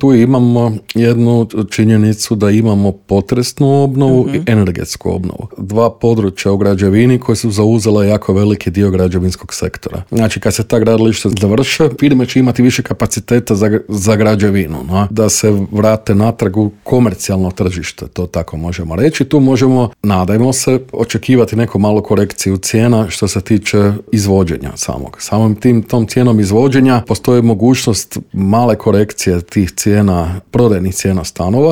Tu imamo jednu činjenicu da imamo potresnu obnovu i energetsku obnovu. Dva područja u građevini koje su zauzela jako veliki dio građevinskog sektora. Znači, kad se ta gradilišta završe, firme će imati više kapaciteta za građevinu, no? Da se vrate natrag u komercijalno tržište, to tako možemo reći. Tu možemo, nadajmo se, očekivati neku malu korekciju cijena što se tiče izvođenja samog. Samom tom cijenom izvođenja postoji mogućnost male korekcije tih cijena, prodajnih cijena stanova,